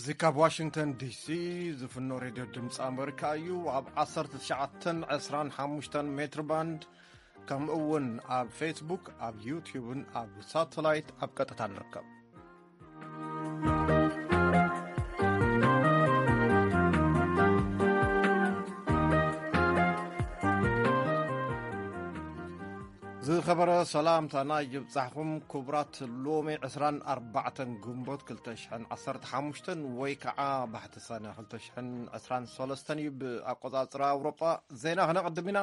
እዚ ካብ ዋሽንግተን ዲሲ ዝፍኖ ሬድዮ ድምፂ ኣመሪካ እዩ። ኣብ ዓሰርተ ትሽዓተን ዕስራን ሓሙሽተን ሜትር ባንድ፣ ከምኡ እውን ኣብ ፌስቡክ፣ ኣብ ዩቲዩብን ኣብ ሳተላይት ኣብ ቀጥታ ንርከብ። ዝኸበረ ሰላምታና ይብጻሕኩም ክቡራት። ሎሚ ዕስራን ኣርባዕተን ግንቦት ክልተ ሽሕን ዓሰርተ ሓሙሽተን ወይ ከዓ ባሕቲ ሰነ ክልተ ሽሕን ዕስራን ሰለስተን እዩ ብኣቆጻጽራ ኣውሮጳ። ዜና ክነቕድም ኢና።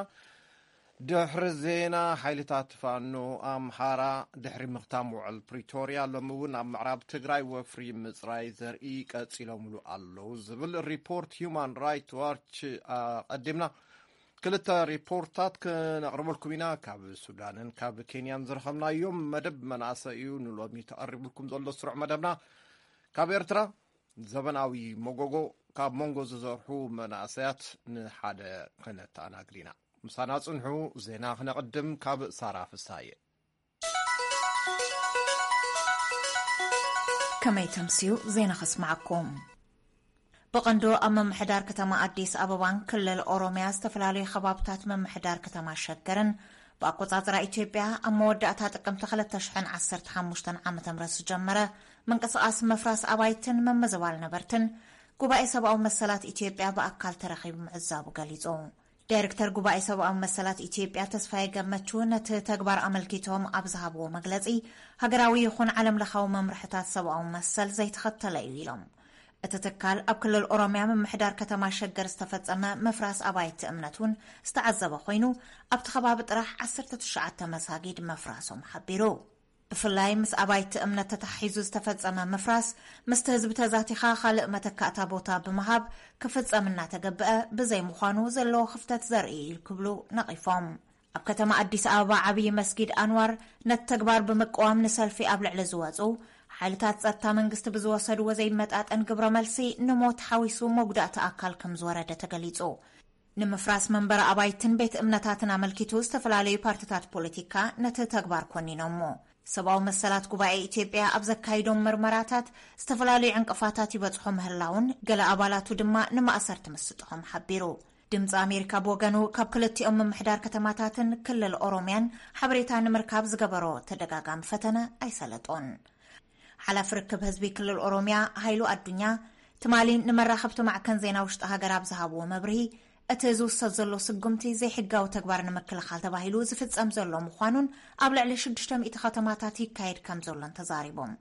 ድሕሪ ዜና፣ ሓይልታት ፋኖ ኣምሓራ ድሕሪ ምኽታም ውዕል ፕሪቶርያ፣ ሎሚ እውን ኣብ ምዕራብ ትግራይ ወፍሪ ምጽራይ ዘርኢ ቀጺሎምሉ ኣለዉ ዝብል ሪፖርት ሁማን ራይት ዋች ኣቐዲምና። ክልተ ሪፖርታት ክነቕርበልኩም ኢና። ካብ ሱዳንን ካብ ኬንያን ዝረኸብናዮም መደብ መናእሰይ እዩ ንሎሚ ተቐሪብልኩም ዘሎ ስሩዕ መደብና። ካብ ኤርትራ ዘበናዊ መጎጎ ካብ መንጎ ዝዘርሑ መናእሰያት ንሓደ ክነተኣናግድ ኢና። ምሳና ጽንሑ። ዜና ክነቕድም ካብ ሳራ ፍሳየ። ከመይ ተምስዩ ዜና ከስማዓኩም። ብቐንዱ ኣብ ምምሕዳር ከተማ ኣዲስ ኣበባን ክልል ኦሮሚያ ዝተፈላለዩ ከባብታት ምምሕዳር ከተማ ሸገርን ብኣቆጻጽራ ኢትዮጵያ ኣብ መወዳእታ ጥቅምቲ ክልተ ሽሕን ዓሰርተ ሓሙሽተን ዓመተ ምህረት ዝጀመረ ምንቅስቓስ ምፍራስ ኣባይትን ምምዝባል ነበርትን ጉባኤ ሰብኣዊ መሰላት ኢትዮጵያ ብኣካል ተረኺቡ ምዕዛቡ ገሊጹ። ዳይሬክተር ጉባኤ ሰብኣዊ መሰላት ኢትዮጵያ ተስፋዬ ገመቹ ነቲ ተግባር ኣመልኪቶም ኣብ ዝሃብዎ መግለጺ፣ ሃገራዊ ይኹን ዓለም ለኻዊ መምርሕታት ሰብኣዊ መሰል ዘይተኸተለ እዩ ኢሎም። እቲ ትካል ኣብ ክልል ኦሮሚያ ምምሕዳር ከተማ ሸገር ዝተፈጸመ ምፍራስ ኣባይቲ እምነት እውን ዝተዓዘበ ኮይኑ፣ ኣብቲ ከባቢ ጥራሕ ዓሰርተ ትሽዓተ መሳጊድ ምፍራሶም ሓቢሩ። ብፍላይ ምስ ኣባይቲ እምነት ተታሒዙ ዝተፈጸመ ምፍራስ፣ ምስቲ ህዝቢ ተዛቲኻ ካልእ መተካእታ ቦታ ብምሃብ ክፍጸም እናተገብአ ብዘይምዃኑ ዘለዎ ክፍተት ዘርኢ እዩ ክብሉ ነቒፎም። ኣብ ከተማ ኣዲስ ኣበባ ዓብዪ መስጊድ ኣንዋር ነቲ ተግባር ብምቅዋም ንሰልፊ ኣብ ልዕሊ ዝወጹ ሓይልታት ጸጥታ መንግስቲ ብዝወሰድዎ ዘይመጣጠን ግብረ መልሲ ንሞት ሓዊሱ መጉዳእቲ ኣካል ከም ዝወረደ ተገሊጹ። ንምፍራስ መንበሪ ኣባይትን ቤት እምነታትን ኣመልኪቱ ዝተፈላለዩ ፓርትታት ፖለቲካ ነቲ ተግባር ኮኒኖሞ። ሰብኣዊ መሰላት ጉባኤ ኢትዮጵያ ኣብ ዘካይዶም ምርመራታት ዝተፈላለዩ ዕንቅፋታት ይበጽሖ ምህላውን ገለ ኣባላቱ ድማ ንማእሰርቲ ምስጥሖም ሓቢሩ። ድምፂ ኣሜሪካ ብወገኑ ካብ ክልቲኦም ምምሕዳር ከተማታትን ክልል ኦሮሚያን ሓበሬታ ንምርካብ ዝገበሮ ተደጋጋሚ ፈተነ ኣይሰለጦን። ሓላፊ ርክብ ህዝቢ ክልል ኦሮሚያ ሃይሉ ኣዱኛ ትማሊ ንመራኸብቲ ማዕከን ዜና ውሽጢ ሃገር ኣብ ዝሃብዎ መብርሂ፣ እቲ ዝውሰድ ዘሎ ስጉምቲ ዘይሕጋዊ ተግባር ንምክልኻል ተባሂሉ ዝፍጸም ዘሎ ምዃኑን ኣብ ልዕሊ ሽዱሽተ ሚእቲ ከተማታት ይካየድ ከም ዘሎን ተዛሪቦም።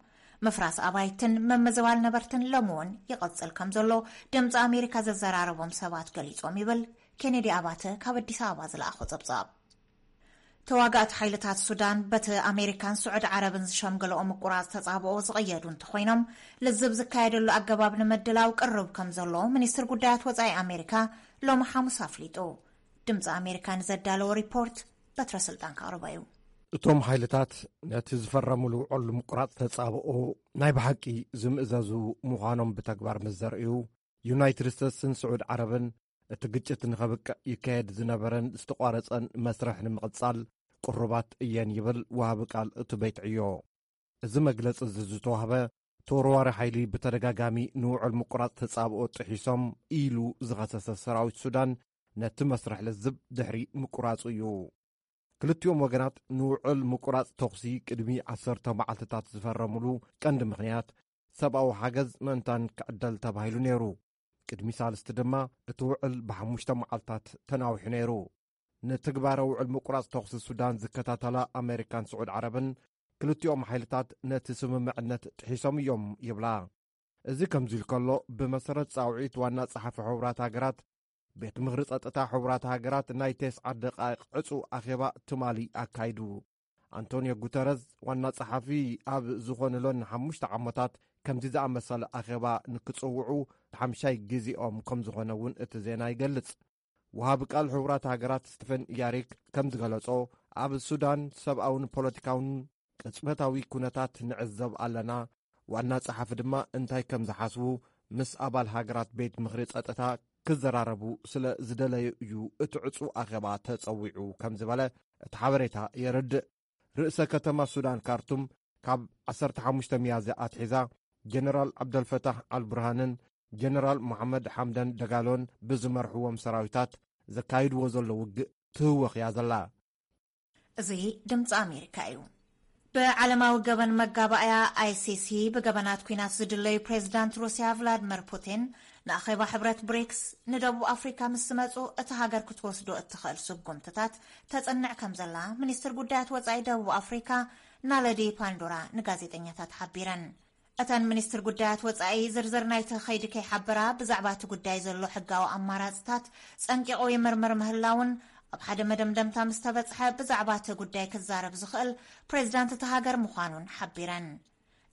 ምፍራስ ኣባይትን ምምዝባል ነበርትን ሎሚ እውን ይቐጽል ከም ዘሎ ድምፂ ኣሜሪካ ዘዘራረቦም ሰባት ገሊጾም ይብል ኬኔዲ ኣባተ ካብ ኣዲስ ኣበባ ዝለኣኾ ጸብጻብ። ተዋጋእቲ ሓይልታት ሱዳን በቲ ኣሜሪካን ስዑድ ዓረብን ዝሸምገለኦ ምቁራጽ ተጻብኦ ዝቕየዱ እንተኾይኖም፣ ልዝብ ዝካየደሉ ኣገባብ ንምድላው ቅርብ ከም ዘሎ ሚኒስትር ጉዳያት ወጻኢ ኣሜሪካ ሎሚ ሓሙስ ኣፍሊጡ። ድምፂ ኣሜሪካ ንዘዳለዎ ሪፖርት በትረ ስልጣን ከቕርቦ እዩ። እቶም ሓይልታት ነቲ ዝፈረምሉ ውዕል ምቁራጽ ተጻብኦ ናይ ብሓቂ ዝምእዘዙ ምዃኖም ብተግባር ምስ ዘርእዩ፣ ዩናይትድ ስቴትስን ስዑድ ዓረብን እቲ ግጭት ንኸብቅዕ ይካየድ ዝነበረን ዝተቋረጸን መስርሕ ንምቕጻል ቅሩባት እየን ይብል ወሃቢ ቃል እቲ ቤት ዕዮ። እዚ መግለጺ እዚ ዝተዋህበ፣ ተወርዋሪ ሓይሊ ብተደጋጋሚ ንውዕል ምቁራጽ ተጻብኦ ጥሒሶም ኢሉ ዝኸሰሰ ሰራዊት ሱዳን ነቲ መስርሕ ልዝብ ድሕሪ ምቁራጹ እዩ። ክልቲኦም ወገናት ንውዕል ምቁራጽ ተኹሲ ቅድሚ ዓሰርተ መዓልትታት ዝፈረሙሉ ቀንዲ ምኽንያት፣ ሰብኣዊ ሓገዝ ምእንታን ክዕደል ተባሂሉ ነይሩ። ቅድሚ ሳልስቲ ድማ እቲ ውዕል ብሓሙሽተ መዓልታት ተናዊሑ ነይሩ። ንትግባረ ውዕል ምቁራጽ ተኹሲ ሱዳን ዝከታተላ ኣሜሪካን ስዑድ ዓረብን ክልቲኦም ሓይልታት ነቲ ስምምዕነት ጥሒሶም እዮም ይብላ። እዚ ከምዚ ኢሉ ከሎ፣ ብመሰረት ጻውዒት ዋና ጸሓፊ ሕቡራት ሃገራት፣ ቤት ምኽሪ ጸጥታ ሕቡራት ሃገራት ናይ ተስዓ ደቓይቕ ዕጹው ኣኼባ ትማሊ ኣካይዱ። ኣንቶኒዮ ጉተረዝ ዋና ጸሓፊ ኣብ ዝኾንሎን ሓሙሽተ ዓመታት ከምዚ ዝኣመሰለ ኣኼባ ንክጽውዑ ሓምሻይ ግዜኦም ከም ዝኾነ እውን እቲ ዜና ይገልጽ። ወሃቢ ቃል ሕቡራት ሃገራት ስቲፈን ያሪክ ከም ዝገለጾ፣ ኣብ ሱዳን ሰብኣውን ፖለቲካውን ቅጽበታዊ ኩነታት ንዕዘብ ኣለና። ዋና ጸሓፊ ድማ እንታይ ከም ዝሓስቡ ምስ ኣባል ሃገራት ቤት ምኽሪ ጸጥታ ክዘራረቡ ስለ ዝደለዩ እዩ እቲ ዕጹ ኣኼባ ተጸዊዑ ከም ዝበለ እቲ ሓበሬታ የረድእ። ርእሰ ከተማ ሱዳን ካርቱም ካብ ዓሰርተ ሓሙሽተ ሚያዝያ ኣትሒዛ ጀነራል ዓብደልፈታሕ ኣልቡርሃንን ጀነራል መሓመድ ሓምዳን ደጋሎን ብዝመርሕዎም ሰራዊታት ዘካይድዎ ዘሎ ውግእ ትህወኽ እያ ዘላ። እዚ ድምፂ ኣሜሪካ እዩ። ብዓለማዊ ገበን መጋባእያ ኣይሲሲ ብገበናት ኲናት ዝድለዩ ፕሬዚዳንት ሩስያ ቭላድመር ፑቲን ንኣኼባ ሕብረት ብሪክስ ንደቡብ ኣፍሪካ ምስ ዝመፁ እቲ ሃገር ክትወስዶ እትኽእል ስጉምትታት ተፅንዕ ከም ዘላ ሚኒስትር ጉዳያት ወፃኢ ደቡብ ኣፍሪካ ናለዲ ፓንዶራ ንጋዜጠኛታት ሓቢረን። እተን ሚኒስትር ጉዳያት ወጻኢ ዝርዝር ናይቲ ኸይዲ ከይሓበራ ብዛዕባ እቲ ጉዳይ ዘሎ ሕጋዊ ኣማራጽታት ጸንቂቑ ይምርምር ምህላውን ኣብ ሓደ መደምደምታ ምስ ተበጽሐ ብዛዕባ እቲ ጉዳይ ክዛረብ ዝኽእል ፕሬዚዳንት እቲ ሃገር ምዃኑን ሓቢረን።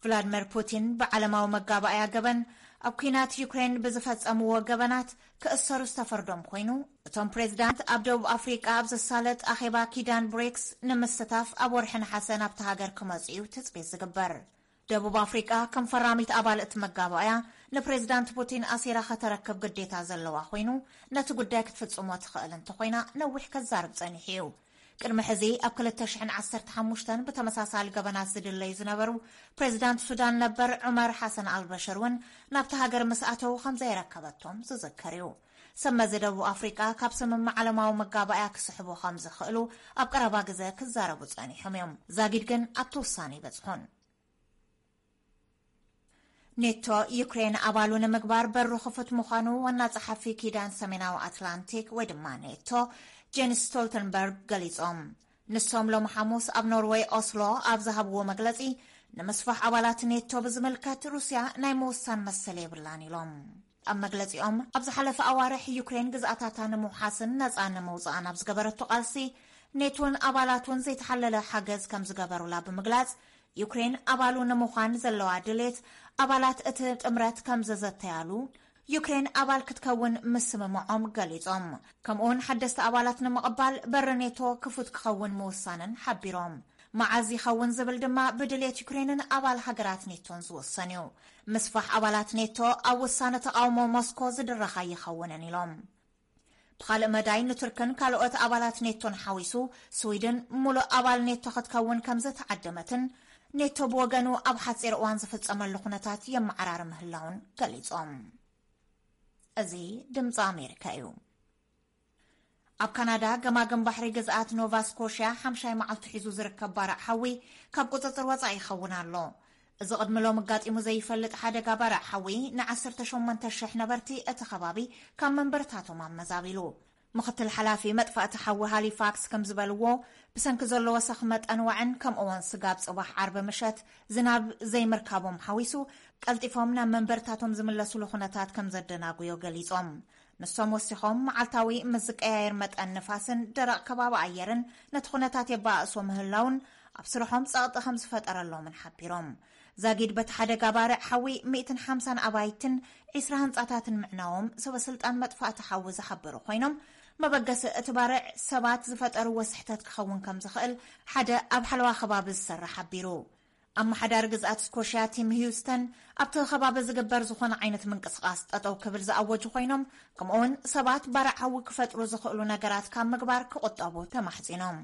ቭላድመር ፑቲን ብዓለማዊ መጋባእያ ገበን ኣብ ኲናት ዩክሬን ብዝፈጸምዎ ገበናት ክእሰሩ ዝተፈርዶም ኮይኑ እቶም ፕሬዚዳንት ኣብ ደቡብ ኣፍሪቃ ኣብ ዝሳለጥ ኣኼባ ኪዳን ብሪክስ ንምስታፍ ኣብ ወርሒ ነሓሰ ናብቲ ሃገር ክመጹ እዩ ትጽቢት ዝግበር። ደቡብ ኣፍሪቃ ከም ፈራሚት ኣባል እቲ መጋባእያ ንፕሬዚዳንት ፑቲን ኣሲራ ከተረክብ ግዴታ ዘለዋ ኮይኑ ነቲ ጉዳይ ክትፍጽሞ ትኽእል እንተኾይና ነዊሕ ከዛርብ ጸኒሑ እዩ። ቅድሚ ሕዚ ኣብ ክልተ ሽሕን ዓሰርተ ሓሙሽተን ብተመሳሳሊ ገበናት ዝድለዩ ዝነበሩ ፕሬዚዳንት ሱዳን ነበር ዑመር ሓሰን ኣልበሽር እውን ናብቲ ሃገር ምስ ኣተዉ ከም ዘይረከበቶም ዝዝከር እዩ። ሰመዚ ደቡብ ኣፍሪቃ ካብ ስምምዕ ዓለማዊ መጋባእያ ክስሕቡ ከም ዝኽእሉ ኣብ ቀረባ ግዘ ክዛረቡ ጸኒሖም እዮም። ዛጊድ ግን ኣብቲ ውሳነ ይበጽሑን። ኔቶ ዩክሬን ኣባሉ ንምግባር በሩ ክፉት ምዃኑ ዋና ጸሓፊ ኪዳን ሰሜናዊ ኣትላንቲክ ወይ ድማ ኔቶ ጄንስ ስቶልተንበርግ ገሊጾም። ንሶም ሎም ሓሙስ ኣብ ኖርወይ ኦስሎ ኣብ ዝሃብዎ መግለጺ ንምስፋሕ ኣባላት ኔቶ ብዝምልከት ሩስያ ናይ ምውሳን መሰል የብላን ኢሎም። ኣብ መግለጺኦም ኣብ ዝሓለፈ ኣዋርሕ ዩክሬን ግዝኣታታ ንምውሓስን ነጻ ንምውጻእን ኣብ ዝገበረቶ ቃልሲ ኔቶን ኣባላቱን ዘይተሓለለ ሓገዝ ከም ዝገበሩላ ብምግላጽ ዩክሬን ኣባሉ ንምዃን ዘለዋ ድሌት ኣባላት እቲ ጥምረት ከም ዘዘተያሉ ዩክሬን ኣባል ክትከውን ምስምምዖም ገሊጾም። ከምኡውን ሓደስቲ ኣባላት ንምቕባል በሪ ኔቶ ክፉት ክኸውን ምውሳንን ሓቢሮም። መዓዝ ይኸውን ዝብል ድማ ብድሌት ዩክሬንን ኣባል ሃገራት ኔቶን ዝውሰን እዩ። ምስፋሕ ኣባላት ኔቶ ኣብ ውሳነ ተቓውሞ ሞስኮ ዝድረኽ ኣይኸውንን ኢሎም። ብኻልእ መዳይ ንቱርክን ካልኦት ኣባላት ኔቶን ሓዊሱ ስዊድን ሙሉእ ኣባል ኔቶ ክትከውን ከም ዝተዓደመትን ኔቶ ብወገኑ ኣብ ሓፂር እዋን ዝፍፀመሉ ኩነታት የመዓራሪ ምህላውን ገሊፆም። እዚ ድምፂ ኣሜሪካ እዩ። ኣብ ካናዳ ገማግም ባሕሪ ግዝኣት ኖቫ ስኮሽያ ሓምሻይ መዓልቱ ሒዙ ዝርከብ ባርዕ ሓዊ ካብ ቁፅፅር ወፃኢ ይኸውን ኣሎ። እዚ ቅድሚ ሎም ኣጋጢሙ ዘይፈልጥ ሓደጋ ባርዕ ሓዊ ን ዓሰርተ ሸሞንተ ሽሕ ነበርቲ እቲ ከባቢ ካብ መንበርታቶም ኣመዛቢሉ። ምኽትል ሓላፊ መጥፋእቲ ሓዊ ሃሊፋክስ ከም ዝበልዎ ብሰንኪ ዘሎ ወሰኽ መጠን ዋዕን ከምኡውን ስጋብ ፅባሕ ዓርቢ ምሸት ዝናብ ዘይምርካቦም ሓዊሱ ቀልጢፎም ናብ መንበርታቶም ዝምለሱሉ ኩነታት ከም ዘደናጉዮ ገሊፆም። ንሶም ወሲኾም መዓልታዊ ምስ ዝቀያየር መጠን ንፋስን ደረቕ ከባቢ ኣየርን ነቲ ኩነታት የባእሶ ምህላውን ኣብ ስርሖም ጸቕጢ ከም ዝፈጠረሎምን ሓቢሮም። ዛጊድ በቲ ሓደጋ ባርዕ ሓዊ ሚእትን ሓምሳን ኣባይትን ዒስራ ህንጻታትን ምዕናዎም ሰበ ስልጣን መጥፋእቲ ሓዊ ዝሓበሩ ኮይኖም መበገሲ እቲ ባርዕ ሰባት ዝፈጠርዎ ስሕተት ክኸውን ከም ዝኽእል ሓደ ኣብ ሓለዋ ከባቢ ዝሰርሕ ሓቢሩ። ኣመሓዳሪ ግዝኣት ስኮሽያ ቲም ሂውስተን ኣብቲ ከባቢ ዝግበር ዝኾነ ዓይነት ምንቅስቓስ ጠጠው ክብል ዝኣወጁ ኮይኖም ከምኡውን ሰባት ባርዕ ሓዊ ክፈጥሩ ዝኽእሉ ነገራት ካብ ምግባር ክቑጠቡ ተማሕጺኖም።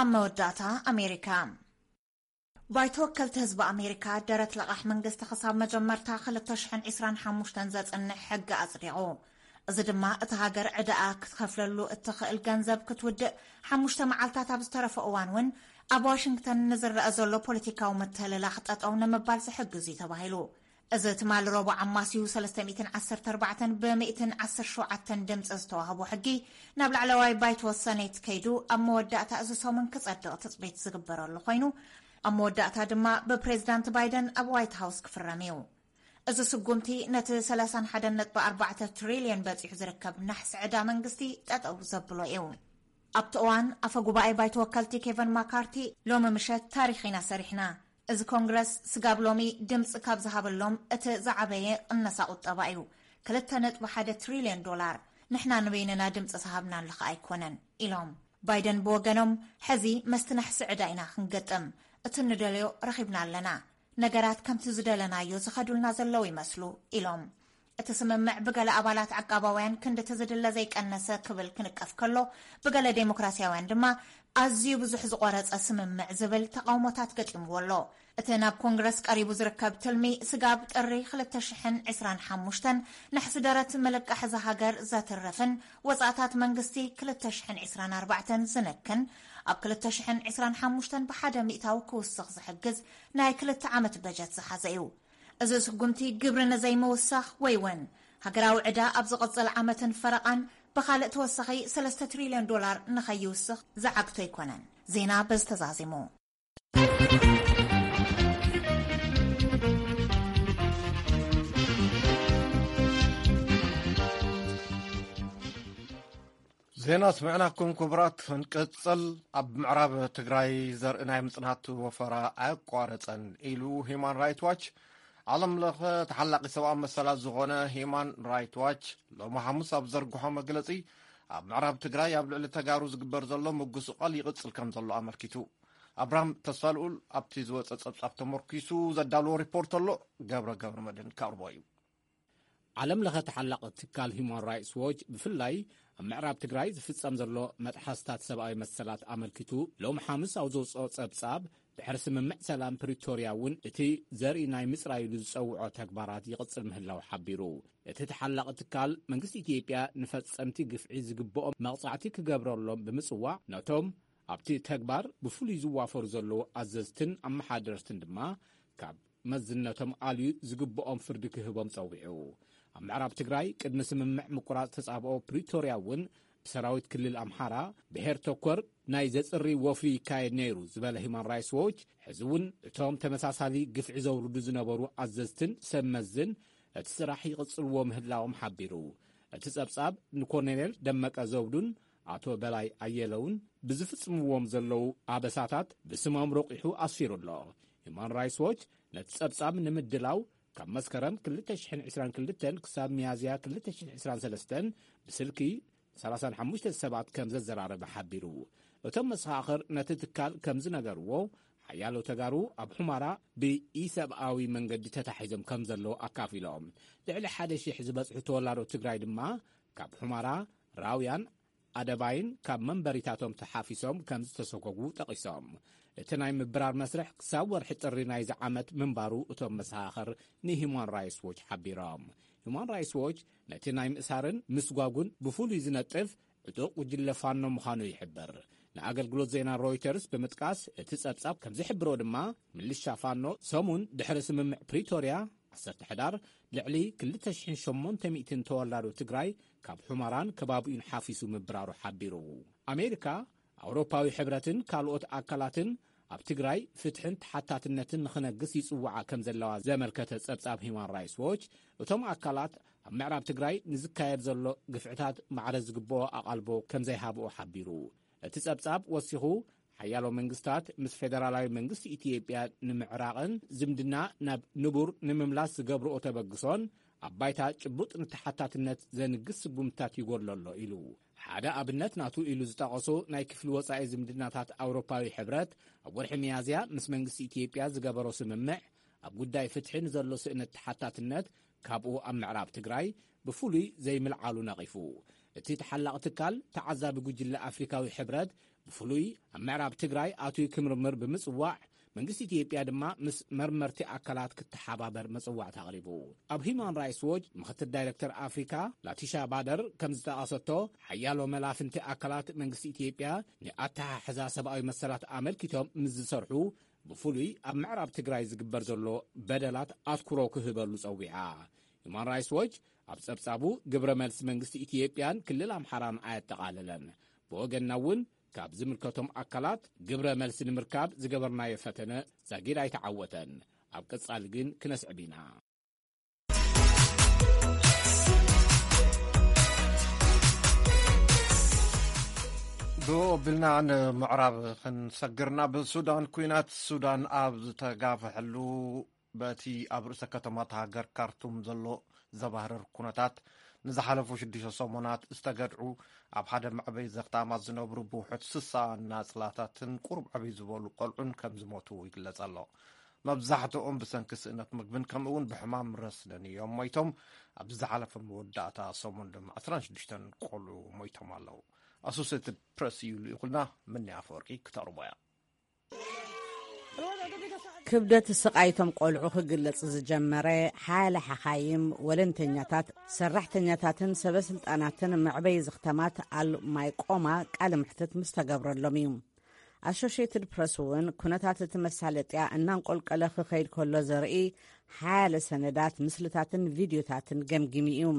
ኣብ መወዳእታ ኣሜሪካ ባይቶ ወከልቲ ህዝቢ ኣሜሪካ ደረት ለቓሕ መንግስቲ ክሳብ መጀመርታ ክልተ ሽሕን ዕስራን ሓሙሽተን ዘጽንሕ ሕጊ ኣጽዲቑ። እዚ ድማ እቲ ሃገር ዕዳኣ ክትኸፍለሉ እትኽእል ገንዘብ ክትውድእ ሓሙሽተ መዓልታት ኣብ ዝተረፈ እዋን እውን ኣብ ዋሽንግተን ንዝረአ ዘሎ ፖለቲካዊ ምትህልላኽ ጠጠው ንምባል ዝሕግዝ እዩ ተባሂሉ። እዚ ትማሊ ረቡዕ ኣማስዩ ሰለስተ ሚእትን ዓሰርተ ኣርባዕተን ብ ሚእትን ዓሰርተ ሸውዓተን ድምፂ ዝተዋህቦ ሕጊ ናብ ላዕለዋይ ባይቶ ሰኔት ከይዱ ኣብ መወዳእታ እዚ ሰሙን ክፀድቕ ትፅቢት ዝግበረሉ ኮይኑ ኣብ መወዳእታ ድማ ብፕሬዚዳንት ባይደን ኣብ ዋይት ሃውስ ክፍረም እዩ። እዚ ስጉምቲ ነቲ ሰላሳን ሓደን ነጥቢ ኣርባዕተ ትሪልዮን በፂሑ ዝርከብ ናሕሲ ዕዳ መንግስቲ ጠጠው ዘብሎ እዩ። ኣብቲ እዋን ኣፈ ጉባኤ ባይቶ ወከልቲ ኬቨን ማካርቲ ሎሚ ምሸት ታሪኽ ኢና ሰሪሕና፣ እዚ ኮንግረስ ስጋብ ሎሚ ድምፂ ካብ ዝሃበሎም እቲ ዝዓበየ ቅነሳ ቁጠባ እዩ፣ ክልተ ነጥቢ ሓደ ትሪልዮን ዶላር፣ ንሕና ንበይንና ድምፂ ዝሃብናሉ ከኣ ኣይኮነን ኢሎም። ባይደን ብወገኖም ሕዚ መስቲ ናሕሲ ዕዳ ኢና ክንገጥም፣ እቲ ንደልዮ ረኺብና ኣለና፣ ነገራት ከምቲ ዝደለናዮ ዝኸዱልና ዘለዉ ይመስሉ ኢሎም። እቲ ስምምዕ ብገለ ኣባላት ዓቃባውያን ክንድቲ ዝድለ ዘይቀነሰ ክብል ክንቀፍ ከሎ፣ ብገለ ዴሞክራሲያውያን ድማ ኣዝዩ ብዙሕ ዝቖረጸ ስምምዕ ዝብል ተቓውሞታት ገጢምዎ ኣሎ። እቲ ናብ ኮንግረስ ቀሪቡ ዝርከብ ትልሚ፣ ስጋብ ጥሪ ክልተ ሽሕን ዕስራን ሓሙሽተን ናሕሲ ደረት ምልቃሕ እዛ ሃገር ዘትርፍን ወጻእታት መንግስቲ ክልተ ሽሕን ዕስራን ኣርባዕተን ዝነክን፣ ኣብ ክልተ ሽሕን ዕስራን ሓሙሽተን ብሓደ ሚእታዊ ክውስኽ ዝሕግዝ ናይ ክልተ ዓመት በጀት ዝሓዘ እዩ። እዚ ስጉምቲ፣ ግብሪ ንዘይምውሳኽ ወይ እውን ሃገራዊ ዕዳ ኣብ ዝቕጽል ዓመትን ፈረቓን ብኻልእ ተወሳኺ ሰለስተ ትሪልዮን ዶላር ንኸይውስኽ ዝዓግቶ ኣይኮነን። ዜና በዚ ተዛዚሙ። ዜና ስምዕናኩም ክቡራት፣ ክንቅጽል። ኣብ ምዕራብ ትግራይ ዘርኢ ናይ ምጽናት ወፈራ ኣየቋረጸን ኢሉ ሂማን ራይት ዋች። ዓለም ለኸ ተሓላቒ ሰብኣዊ መሰላት ዝኾነ ሂማን ራይት ዋች ሎሚ ሓሙስ ኣብ ዘርግሖ መግለጺ፣ ኣብ ምዕራብ ትግራይ ኣብ ልዕሊ ተጋሩ ዝግበር ዘሎ ምጉስቋል ይቕጽል ከም ዘሎ ኣመልኪቱ። ኣብርሃም ተስፋልኡል ኣብቲ ዝወጸ ጸብጻብ ተመርኪሱ ዘዳለዎ ሪፖርት ኣሎ። ገብረ ገብረ መድህን ከቕርቦ እዩ። ዓለም ለኸ ተሓላቒ ትካል ሂማን ራይትስ ዎች ብፍላይ ኣብ ምዕራብ ትግራይ ዝፍጸም ዘሎ መጥሓስታት ሰብኣዊ መሰላት ኣመልኪቱ ሎም ሓሙስ ኣብ ዘውፅኦ ጸብጻብ፣ ድሕሪ ስምምዕ ሰላም ፕሪቶርያ እውን እቲ ዘርኢ ናይ ምጽራይ ኢሉ ዝጸውዖ ተግባራት ይቕጽል ምህላው ሓቢሩ። እቲ ተሓላቒ ትካል መንግስቲ ኢትዮጵያ ንፈጸምቲ ግፍዒ ዝግብኦም መቕጻዕቲ ክገብረሎም ብምጽዋዕ፣ ነቶም ኣብቲ ተግባር ብፍሉይ ዝዋፈሩ ዘለዉ ኣዘዝትን ኣመሓደርትን ድማ ካብ መዝነቶም ኣልዩ ዝግብኦም ፍርዲ ክህቦም ጸዊዑ። ኣብ ምዕራብ ትግራይ ቅድሚ ስምምዕ ምቁራጽ ተጻብኦ ፕሪቶርያ እውን ብሰራዊት ክልል ኣምሓራ ብሄር ተኮር ናይ ዘጽሪ ወፍሪ ይካየድ ነይሩ ዝበለ ሂማን ራይትስ ዎች፣ ሕዚ እውን እቶም ተመሳሳሊ ግፍዒ ዘውርዱ ዝነበሩ ኣዘዝትን ሰብ መዝን እቲ ስራሕ ይቕጽልዎ ምህላዎም ሓቢሩ። እቲ ጸብጻብ ንኮሎኔል ደመቀ ዘውዱን ኣቶ በላይ ኣየለውን ብዝፍጽምዎም ዘለዉ ኣበሳታት ብስሞም ረቂሑ ኣስፊሩ ኣሎ። ሂማን ራይትስ ዎች ነቲ ጸብጻብ ንምድላው ካብ መስከረም ክልተ ሽሕን ዕስራን ክልተን ክሳብ ሚያዝያ ክልተ ሽሕን ዕስራን ሰለስተን ብስልኪ ሰላሳን ሓሙሽተ ሰባት ከም ዘዘራረበ ሓቢሩ። እቶም መሰኻኽር ነቲ ትካል ከም ዝነገርዎ፣ ሓያሎ ተጋሩ ኣብ ሑመራ ብኢሰብኣዊ መንገዲ ተታሒዞም ከም ዘለዉ ኣካፊሎም። ልዕሊ ሓደ ሺሕ ዝበጽሑ ተወላዶ ትግራይ ድማ ካብ ሑመራ፣ ራውያን፣ ኣደባይን ካብ መንበሪታቶም ተሓፊሶም ከም ዝተሰጎጉ ጠቒሶም። እቲ ናይ ምብራር መስርሕ ክሳብ ወርሒ ጥሪ ናይዚ ዓመት ምንባሩ እቶም መሰኻኽር ንሂማን ራይትስ ዎች ሓቢሮም። ሂማን ራይትስ ዎች ነቲ ናይ ምእሳርን ምስጓጉን ብፍሉይ ዝነጥፍ ዕጡቕ ጉጅለ ፋኖ ምዃኑ ይሕብር። ንኣገልግሎት ዜና ሮይተርስ ብምጥቃስ፣ እቲ ጸብጻብ ከም ዝሕብሮ ድማ፣ ምልሻ ፋኖ ሰሙን ድሕሪ ስምምዕ ፕሪቶርያ፣ ዓሰርተ ሕዳር፣ ልዕሊ ክልተ ሽሕን ሸሞንተ ሚእትን ተወላዶ ትግራይ ካብ ሑመራን ከባቢኡን ሓፊሱ ምብራሩ ሓቢሩ። ኣሜሪካ፣ ኣውሮፓዊ ሕብረትን ካልኦት ኣካላትን ኣብ ትግራይ ፍትሕን ተሓታትነትን ንኽነግስ ይጽውዓ ከም ዘለዋ ዘመልከተ ጸብጻብ ሂማን ራይትስ ዎች፣ እቶም ኣካላት ኣብ ምዕራብ ትግራይ ንዝካየድ ዘሎ ግፍዕታት ማዕረ ዝግብኦ ኣቓልቦ ከም ዘይሃብኦ ሓቢሩ። እቲ ጸብጻብ ወሲኹ፣ ሓያሎ መንግስታት ምስ ፌደራላዊ መንግስቲ ኢትዮጵያ ንምዕራቕን ዝምድና ናብ ንቡር ንምምላስ ዝገብርኦ ተበግሶን ኣብ ባይታ ጭቡጥ ንተሓታትነት ዘንግስ ስጉምትታት ይጎድሎ ኣሎ ኢሉ። ሓደ ኣብነት ናቱ ኢሉ ዝጠቐሶ ናይ ክፍሊ ወጻኢ ዝምድናታት ኣውሮፓዊ ሕብረት ኣብ ወርሒ ሚያዝያ ምስ መንግስቲ ኢትዮጵያ ዝገበሮ ስምምዕ፣ ኣብ ጉዳይ ፍትሒ ንዘሎ ስእነት ተሓታትነት ካብኡ ኣብ ምዕራብ ትግራይ ብፍሉይ ዘይምልዓሉ ነቒፉ። እቲ ተሓላቒ ትካል ተዓዛቢ ጉጅለ ኣፍሪካዊ ሕብረት ብፍሉይ ኣብ ምዕራብ ትግራይ ኣትዩ ክምርምር ብምጽዋዕ፣ መንግስቲ ኢትዮጵያ ድማ ምስ መርመርቲ ኣካላት ክተሓባበር መጽዋዕታ ኣቕሪቡ። ኣብ ሂማን ራይትስ ዎች ምኽትል ዳይረክተር ኣፍሪካ ላቲሻ ባደር ከም ዝጠቐሰቶ፣ ሓያሎ መላፍንቲ ኣካላት መንግስቲ ኢትዮጵያ ንኣተሓሕዛ ሰብኣዊ መሰላት ኣመልኪቶም ምስ ዝሰርሑ፣ ብፍሉይ ኣብ ምዕራብ ትግራይ ዝግበር ዘሎ በደላት ኣትኩሮ ክህበሉ ጸዊዓ። ሂማን ራይትስ ዎች ኣብ ጸብጻቡ፣ ግብረ መልሲ መንግስቲ ኢትዮጵያን ክልል ኣምሓራን ኣየጠቓለለን። ብወገንና እውን ካብ ዝምልከቶም ኣካላት ግብረ መልሲ ንምርካብ ዝገበርናዮ ፈተነ ዛጊድ ኣይተዓወተን። ኣብ ቀጻሊ ግን ክነስዕብ ኢና። ብኡ ኣቢልና ንምዕራብ ክንሰግር፣ ናብ ሱዳን። ኲናት ሱዳን ኣብ ዝተጋፍሐሉ፣ በቲ ኣብ ርእሰ ከተማ እታ ሃገር ካርቱም ዘሎ ዘባህርር ኩነታት፣ ንዝሓለፉ ሽዱሽተ ሰሙናት ዝተገድዑ፣ ኣብ ሓደ መዕበይ ዘኽታማት ዝነብሩ ብውሑድ ስሳ ናጽላታትን ቁሩብ ዕብይ ዝበሉ ቆልዑን ከም ዝሞቱ ይግለጽ ኣሎ። መብዛሕትኦም ብሰንኪ ስእነት ምግብን ከምኡ እውን ብሕማም ረስንን እዮም ሞይቶም። ኣብዚ ዝሓለፈ መወዳእታ ሰሙን ድማ ዕስራን ሽዱሽተን ቆልዑ ሞይቶም ኣለዉ። ኣሶሴትድ ፕረስ እዩ ልኢኹልና። ምኒ ኣፈወርቂ ክተቕርቦ እያ። ክብደት ስቓይቶም ቆልዑ ክግለጽ ዝጀመረ ሓያለ ሓኻይም፣ ወለንተኛታት፣ ሰራሕተኛታትን ሰበ ስልጣናትን መዕበይ ዝኽተማት ኣል ማይቆማ ቃለ መሕትት ምስ ተገብረሎም እዩ። ኣሶሽየትድ ፕረስ እውን ኩነታት እቲ መሳለጥያ እናንቆልቀለ ክኸይድ ከሎ ዘርኢ ሓያለ ሰነዳት፣ ምስልታትን ቪድዮታትን ገምጊሙ እዩ።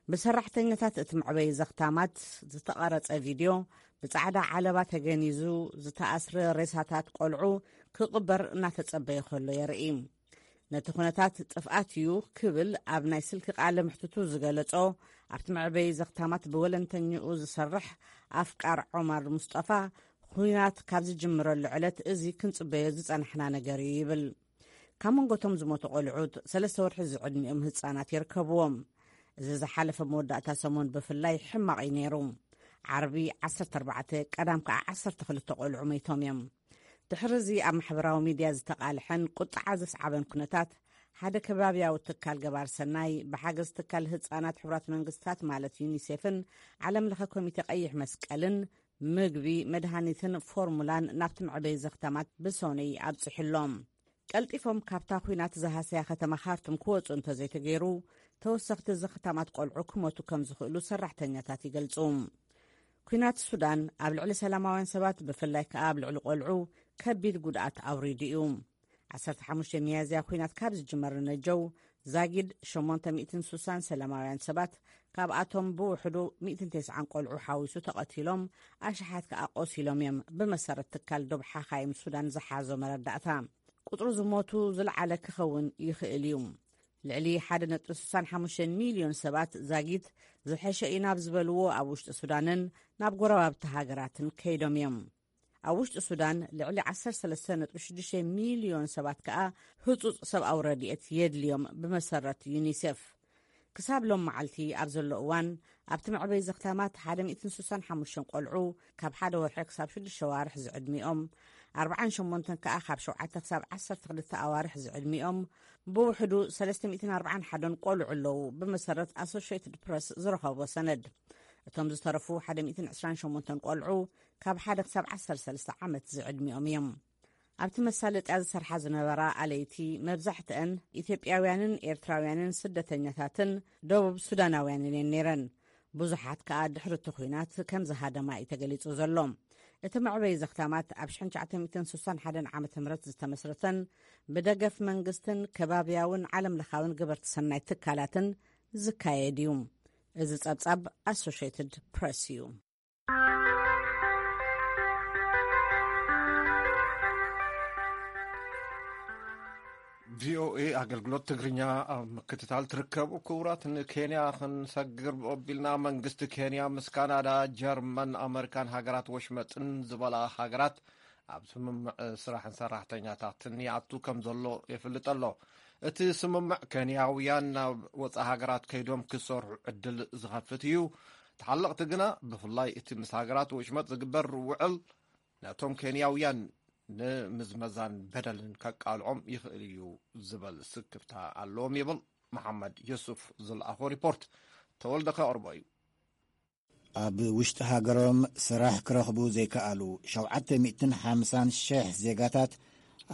ብሰራሕተኛታት እቲ መዕበይ ዘኽታማት ዝተቐረጸ ቪድዮ፣ ብጻዕዳ ዓለባ ተገኒዙ ዝተኣስረ ሬሳታት ቆልዑ ክቕበር እናተጸበየ ከሎ የርኢ። ነቲ ኩነታት ጥፍኣት እዩ ክብል ኣብ ናይ ስልኪ ቃለ ምሕትቱ ዝገለጾ፣ ኣብቲ መዕበይ ዘኽታማት ብወለንተኛኡ ዝሰርሕ ኣፍቃር ዖማር ሙስጠፋ፣ ኹናት ካብ ዝጅምረሉ ዕለት እዚ ክንጽበዮ ዝጸናሕና ነገር እዩ ይብል። ካብ መንጎቶም ዝሞቱ ቆልዑት ሰለስተ ወርሒ ዝዕድሚኦም ህጻናት ይርከብዎም። እዚ ዝሓለፈ መወዳእታ ሰሙን ብፍላይ ሕማቕ እዩ ነይሩ። ዓርቢ ዓሰርተ ኣርባዕተ፣ ቀዳም ከኣ ዓሰርተ ክልተ ቆልዑ መይቶም እዮም። ድሕሪ እዚ ኣብ ማሕበራዊ ሚድያ ዝተቓልሐን ቁጥዓ ዘስዓበን ኩነታት፣ ሓደ ከባብያዊ ትካል ገባር ሰናይ ብሓገዝ ትካል ህጻናት ሕቡራት መንግስታት ማለት ዩኒሴፍን ዓለም ለኸ ኮሚቴ ቀይሕ መስቀልን ምግቢ፣ መድሃኒትን ፎርሙላን ናብቲ መዕበይ ዘኽታማት ብሶነይ ኣብጺሑሎም። ቀልጢፎም ካብታ ኲናት ዝሃሰያ ከተማ ካርቱም ክወጹ እንተዘይተገይሩ፣ ተወሰኽቲ ዘኽታማት ቆልዑ ክሞቱ ከም ዝኽእሉ ሰራሕተኛታት ይገልጹ። ኲናት ሱዳን ኣብ ልዕሊ ሰላማውያን ሰባት፣ ብፍላይ ከኣ ኣብ ልዕሊ ቆልዑ፣ ከቢድ ጉድኣት ኣውሪዱ እዩ። ዓሰርተ ሓሙሽተ ሚያዝያ ኲናት ካብ ዝጅመር ንነጀው፣ ዛጊድ ሸሞንተ ሚእትን ሱሳን ሰላማውያን ሰባት፣ ካብኣቶም ብውሕዱ ሚእትን ተስዓን ቆልዑ ሓዊሱ ተቐቲሎም፣ ኣሽሓት ከኣ ቆሲሎም እዮም፣ ብመሰረት ትካል ዶብ ሓኻይም ሱዳን ዝሓዞ መረዳእታ። ቁጽሩ ዝሞቱ ዝለዓለ ክኸውን ይኽእል እዩ። ልዕሊ ሓደ ነጥቢ ስሳን ሓሙሽተን ሚልዮን ሰባት ዛጊት ዝሐሸ እዩ ናብ ዝበልዎ ኣብ ውሽጢ ሱዳንን ናብ ጎረባብቲ ሃገራትን ከይዶም እዮም። ኣብ ውሽጢ ሱዳን ልዕሊ ዓሰርተ ሰለስተ ነጥቢ ሽዱሽተ ሚልዮን ሰባት ከኣ ህጹጽ ሰብኣዊ ረድኤት የድልዮም፣ ብመሰረት ዩኒሴፍ። ክሳብ ሎም መዓልቲ ኣብ ዘሎ እዋን፣ ኣብቲ መዕበይ ዘኽታማት ሓደ ሚእትን ስሳን ሓሙሽተን ቆልዑ ካብ ሓደ ወርሒ ክሳብ ሽዱሽተ ኣዋርሕ ዝዕድሚኦም፣ ኣርባዓን ሸሞንተን ከኣ ካብ ሸውዓተ ክሳብ ዓሰርተ ክልተ ኣዋርሕ ዝዕድሚኦም፣ ብውሕዱ ሰለስተ ሚእትን ኣርባዓን ሓደን ቆልዑ ኣለዉ፣ ብመሰረት ኣሶሽየትድ ፕረስ ዝረኸቦ ሰነድ። እቶም ዝተረፉ ሓደ ሚእትን ዕስራን ሸሞንተን ቆልዑ ካብ ሓደ ክሳብ ዓሰርተ ሰለስተ ዓመት ዝዕድሚኦም እዮም። ኣብቲ መሳለጥያ ዝሰርሓ ዝነበራ ኣለይቲ፣ መብዛሕትአን ኢትዮጵያውያንን ኤርትራውያንን ስደተኛታትን ደቡብ ሱዳናውያንን እየን ነይረን። ብዙሓት ከኣ ድሕሪ እቲ ኲናት ከም ዝሃደማ እዩ ተገሊጹ ዘሎ። እቲ መዕበይ ዘኽታማት ኣብ ሽሕን ትሽዓተ ሚእትን ስሳን ሓደን ዓመተ ምህረት ዝተመስረተን ብደገፍ መንግስትን ከባብያውን ዓለም ለኻውን ገበርቲ ሰናይ ትካላትን ዝካየድ እዩ። እዚ ጸብጻብ ኣሶሽየትድ ፕረስ እዩ። ቪኦኤ ኣገልግሎት ትግርኛ ኣብ ምክትታል ትርከቡ ክቡራት፣ ንኬንያ ክንሰግር ኣቢልና። መንግስቲ ኬንያ ምስ ካናዳ፣ ጀርመን፣ ኣመሪካን ሃገራት ወሽመጥን ዝበላ ሃገራት ኣብ ስምምዕ ስራሕን ሰራሕተኛታትን ይኣቱ ከም ዘሎ የፍልጥ ኣሎ። እቲ ስምምዕ ኬንያውያን ናብ ወፃኢ ሃገራት ከይዶም ክሰርሑ ዕድል ዝኸፍት እዩ። ተሓለቕቲ ግና፣ ብፍላይ እቲ ምስ ሃገራት ወሽመጥ ዝግበር ውዕል፣ ነቶም ኬንያውያን ንምዝመዛን በደልን ከቃልዖም ይኽእል እዩ ዝበል ስክፍታ ኣለዎም ይብል መሓመድ ዮሱፍ ዝለኣኾ ሪፖርት። ተወልደ ከቕርቦ እዩ። ኣብ ውሽጢ ሃገሮም ስራሕ ክረኽቡ ዘይከኣሉ ሸውዓተ ሚእትን ሓምሳን ሽሕ ዜጋታት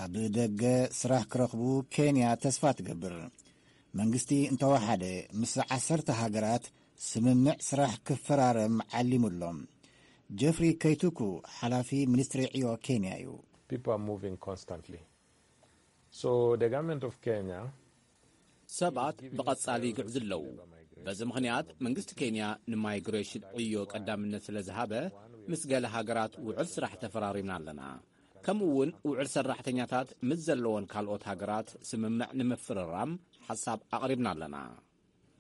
ኣብ ደገ ስራሕ ክረኽቡ ኬንያ ተስፋ ትገብር። መንግስቲ እንተወሓደ ምስ ዓሰርተ ሃገራት ስምምዕ ስራሕ ክፈራረም ዓሊሙ ኣሎ። ጀፍሪ ከይቱኩ ሓላፊ ሚኒስትሪ ዕዮ ኬንያ እዩ። People are moving constantly. So the government of Kenya ሰባት ብቐጻሊ ይግዕዙ ኣለዉ። በዚ ምኽንያት መንግስቲ ኬንያ ንማይግሬሽን ዕዮ ቀዳምነት ስለ ዝሃበ ምስ ገለ ሃገራት ውዕል ስራሕ ተፈራሪምና ኣለና። ከምኡ እውን ውዕል ሰራሕተኛታት ምስ ዘለዎን ካልኦት ሃገራት ስምምዕ ንምፍርራም ሓሳብ ኣቕሪብና ኣለና።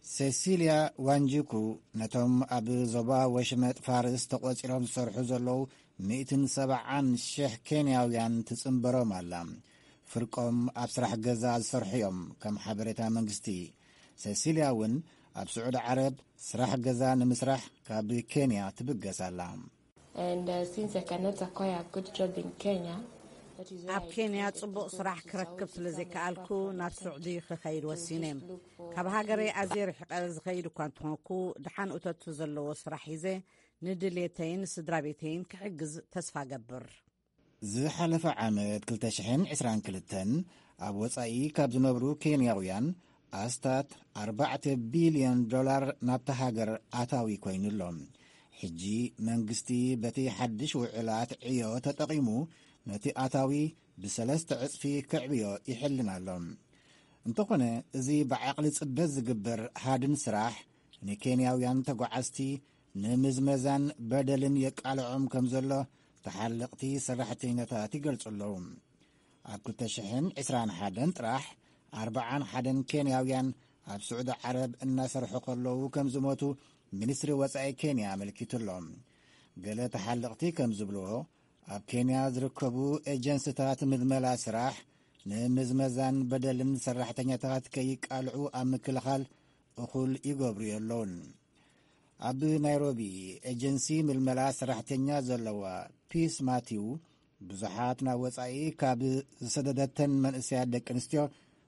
ሴሲልያ ዋንጂኩ ነቶም ኣብ ዞባ ወሽመጥ ፋርስ ተቖጺሮም ዝሰርሑ ዘለዉ ሚእትን ሰብዓን ሽሕ ኬንያውያን ትጽንበሮም ኣላ። ፍርቆም ኣብ ስራሕ ገዛ ዝሰርሑ እዮም፣ ከም ሓበሬታ መንግስቲ። ሴሲልያ እውን ኣብ ስዑዲ ዓረብ ስራሕ ገዛ ንምስራሕ ካብ ኬንያ ትብገስ ኣላ። And uh, since I cannot acquire a good job in Kenya, ኣብ ኬንያ ጽቡቕ ስራሕ ክረክብ ስለ ዘይከኣልኩ ናብ ስዑዲ ክኸይድ ወሲነ። ካብ ሃገረይ ኣዝየ ርሒቐ ዝኸይድ እኳ እንተኾንኩ፣ ደሓን እቶቱ ዘለዎ ስራሕ ሒዘ ንድሌተይን ስድራ ቤተይን ክሕግዝ ተስፋ ገብር። ዝሓለፈ ዓመት ክልተ ሽሕን ዕስራን ክልተን ኣብ ወጻኢ ካብ ዝነብሩ ኬንያውያን ኣስታት ኣርባዕተ ቢልዮን ዶላር ናብታ ሃገር ኣታዊ ኮይኑ ኣሎ። ሕጂ መንግስቲ በቲ ሓድሽ ውዕላት ዕዮ ተጠቒሙ ነቲ ኣታዊ ብሰለስተ ዕጽፊ ከዕብዮ ይሕልን ኣሎ። እንተኾነ፣ እዚ ብዓቕሊ ጽበት ዝግበር ሃድን ስራሕ ንኬንያውያን ተጓዓዝቲ ንምዝመዛን በደልን የቃልዖም ከም ዘሎ ተሓለቕቲ ሰራሕተኛታት ይገልጹ ኣለዉ። ኣብ ክልተ ሽሕን ዕስራን ሓደን ጥራሕ ኣርብዓን ሓደን ኬንያውያን ኣብ ስዑዲ ዓረብ እናሰርሑ ከለዉ ከም ዝሞቱ ሚኒስትሪ ወጻኢ ኬንያ ኣመልኪቱ ኣሎ። ገለ ተሓለቕቲ ከም ዝብልዎ፣ ኣብ ኬንያ ዝርከቡ ኤጀንስታት ምልመላ ስራሕ ንምዝመዛን በደልን ሰራሕተኛታት ከይቃልዑ ኣብ ምክልኻል እኹል ይገብሩ የለውን። ኣብ ናይሮቢ ኤጀንሲ ምልመላ ሰራሕተኛ ዘለዋ ፒስ ማቲው፣ ብዙሓት ናብ ወጻኢ ካብ ዝሰደደተን መንእሰያት ደቂ ኣንስትዮ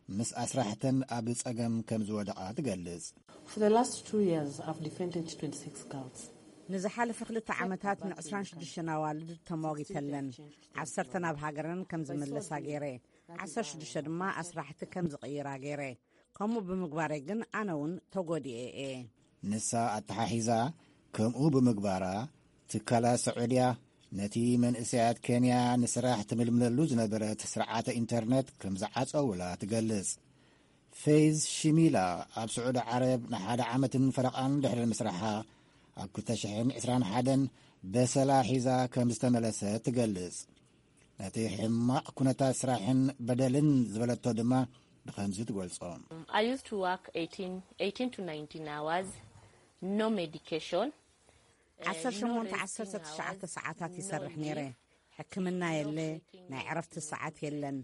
ምስ ኣስራሕተን ኣብ ጸገም ከም ዝወደቓ ትገልጽ። For the last two years, I've defended twenty-six girls. ንዝሓለፈ ክልተ ዓመታት ን ዕስራን ሽዱሽተን ኣዋልድ ተሟጊተለን። ዓሰርተ ናብ ሃገረን ከም ዝምለሳ ገይረ፣ ዓሰርተ ሽዱሽተ ድማ ኣስራሕቲ ከም ዝቕይራ ገይረ። ከምኡ ብምግባረይ ግን ኣነ እውን ተጎዲኤ እየ። ንሳ ኣተሓሒዛ፣ ከምኡ ብምግባራ ትካላት ሰዑድያ ነቲ መንእሰያት ኬንያ ንስራሕ ትምልምለሉ ዝነበረት ስርዓተ ኢንተርነት ከም ዝዓጸውላ ትገልጽ። ፌዝ ሽሚላ ኣብ ስዑዲ ዓረብ ንሓደ ዓመትን ፈረቓን ድሕሪ ምስራሓ፣ ኣብ ክልተ ሽሕን ዕስራን ሓደን በሰላ ሒዛ ከም ዝተመለሰት ትገልጽ። ነቲ ሕማቕ ኩነታት ስራሕን በደልን ዝበለቶ ድማ ብኸምዚ ትገልጾ። I used to work eighteen, eighteen to nineteen hours, no medication. ዓሰርተ ሸሞንተ ዓሰርተ ትሽዓተ ሰዓታት ይሰርሕ ነይረ። ሕክምና የለ፣ ናይ ዕረፍቲ ሰዓት የለን።